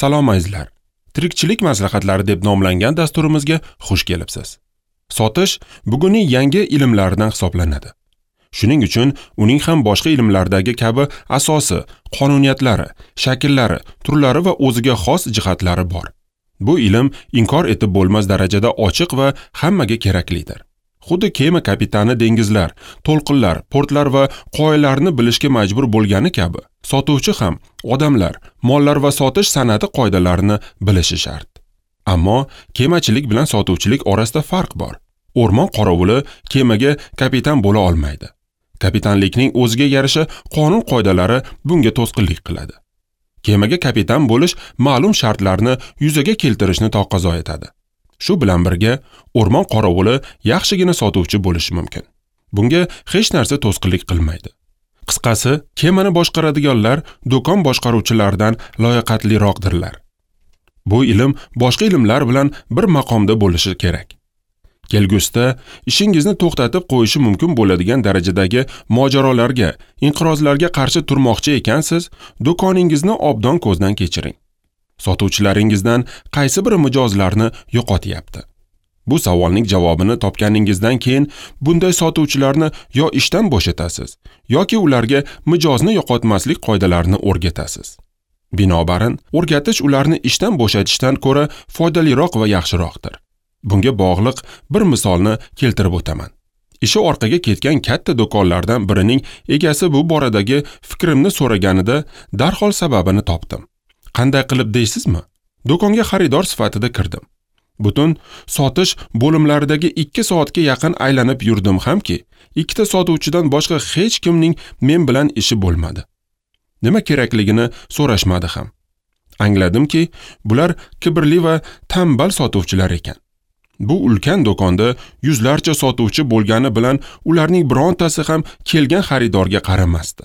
Salom azizlar. Tirikchilik maslahatlari deb nomlangan dasturimizga xush kelibsiz. Sotish bugunning yangi ilmlaridan hisoblanadi. Shuning uchun uning ham boshqa ilmlardagi kabi asosi, qonuniyatlari, shakllari, turlari va o'ziga xos jihatlari bor. Bu ilm inkor etib bo'lmas darajada ochiq va hammaga keraklidir. Xuddi kema kapitani dengizlar, to'lqinlar, portlar va qoyalarni bilishga majbur bo'lgani kabi, sotuvchi ham odamlar, mollar va sotish san'ati qoidalarini bilishi shart. Ammo kemachilik bilan sotuvchilik orasida farq bor. O'rmon qorovuli kemaga kapitan bo'la olmaydi. Kapitanlikning o'ziga yarasha qonun qoidalari bunga to'sqinlik qiladi. Kemaga kapitan bo'lish ma'lum shartlarni yuzaga keltirishni taqozo etadi. Shu bilan birga o'rmon qorovuli yaxshigina sotuvchi bo'lishi mumkin. Bunga hech narsa to'sqinlik qilmaydi. Qisqasi, kemani boshqaradiganlar do'kon boshqaruvchilaridan layoqatliroqdirlar. Bu ilm boshqa ilmlar bilan bir maqomda bo'lishi kerak. Kelgusida ishingizni to'xtatib qo'yishi mumkin bo'ladigan darajadagi mojarolarga, inqirozlarga qarshi turmoqchi ekansiz, do'koningizni obdon ko'zdan kechiring. Sotuvchilaringizdan qaysi biri mijozlarni yo'qotyapti? Bu savolning javobini topganingizdan keyin bunday sotuvchilarni yo ishdan bo'shatasiz, yoki ularga mijozni yo'qotmaslik qoidalarini o'rgatasiz. Binobarin, o'rgatish ularni ishdan bo'shatishdan ko'ra foydaliroq va yaxshiroqdir. Bunga bog'liq bir misolni keltirib o'taman. Ishi orqaga ketgan katta do'konlardan birining egasi bu boradagi fikrimni so'raganida darhol sababini topdim. Qanday qilib deysizmi? Do'konga xaridor sifatida kirdim. Butun sotish bo'limlaridagi 2 soatga yaqin aylanib yurdim hamki, ikkita sotuvchidan boshqa hech kimning men bilan ishi bo'lmadi. Nima kerakligini so'rashmadi ham. Angladimki, bular kibrli va tambal sotuvchilar ekan. Bu ulkan do'konda yuzlarcha sotuvchi bo'lgani bilan ularning birontasi ham kelgan xaridorga qaramasdi.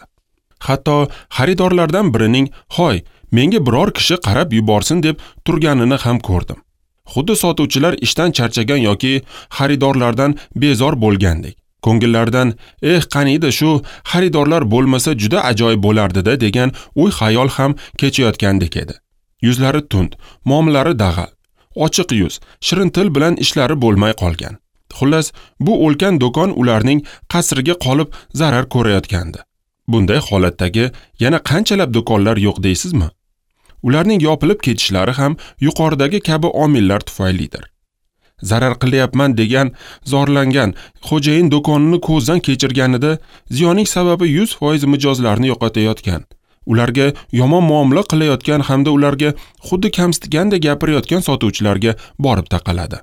Hatto xaridorlardan birining "Hoy, menga biror kishi qarab yuborsin" deb turganini ham ko'rdim. Xuddi sotuvchilar ishdan charchagan yoki xaridorlardan bezor bo'lgandek. Ko'ngillaridan "Eh, qaniydi shu xaridorlar bo'lmasa juda ajoyib bo'lardi-da" degan o'y-xayol ham kechayotgandek edi. Yuzlari tund, muomalalari dag'al, ochiq yuz, shirin til bilan ishlari bo'lmay qolgan. Xullas, bu ulkan do'kon ularning qasriga qolib zarar ko'rayotgandi. Bunday holatdagi yana qanchalab do'konlar yo'q deysizmi? Ularning yopilib ketishlari ham yuqoridagi kabi omillar tufaylidir. Zarar qilyapman degan zorlangan xo'jayin do'konini ko'zdan kechirganida ziyonning sababi 100% mijozlarni yo'qotayotgan, ularga yomon muomala qilayotgan hamda ularga xuddi kamsitgandek gapirayotgan sotuvchilarga borib taqaladi.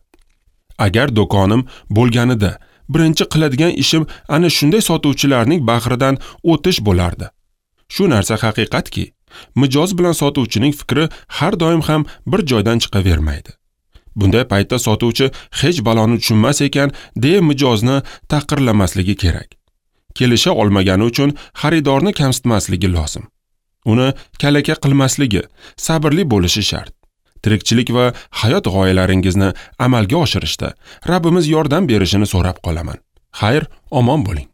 Agar do'konim bo'lganida birinchi qiladigan ishim ana shunday sotuvchilarning bahridan o'tish bo'lardi. Shu narsa haqiqatki, mijoz bilan sotuvchining fikri har doim ham bir joydan chiqavermaydi. Bunday paytda sotuvchi hech baloni tushunmas ekan deya mijozni tahqirlamasligi kerak. Kelisha olmagani uchun xaridorni kamsitmasligi lozim. Uni kalaka qilmasligi, sabrli bo'lishi shart. Tirikchilik va hayot g'oyalaringizni amalga oshirishda Rabbimiz yordam berishini so'rab qolaman. Xayr, omon bo'ling.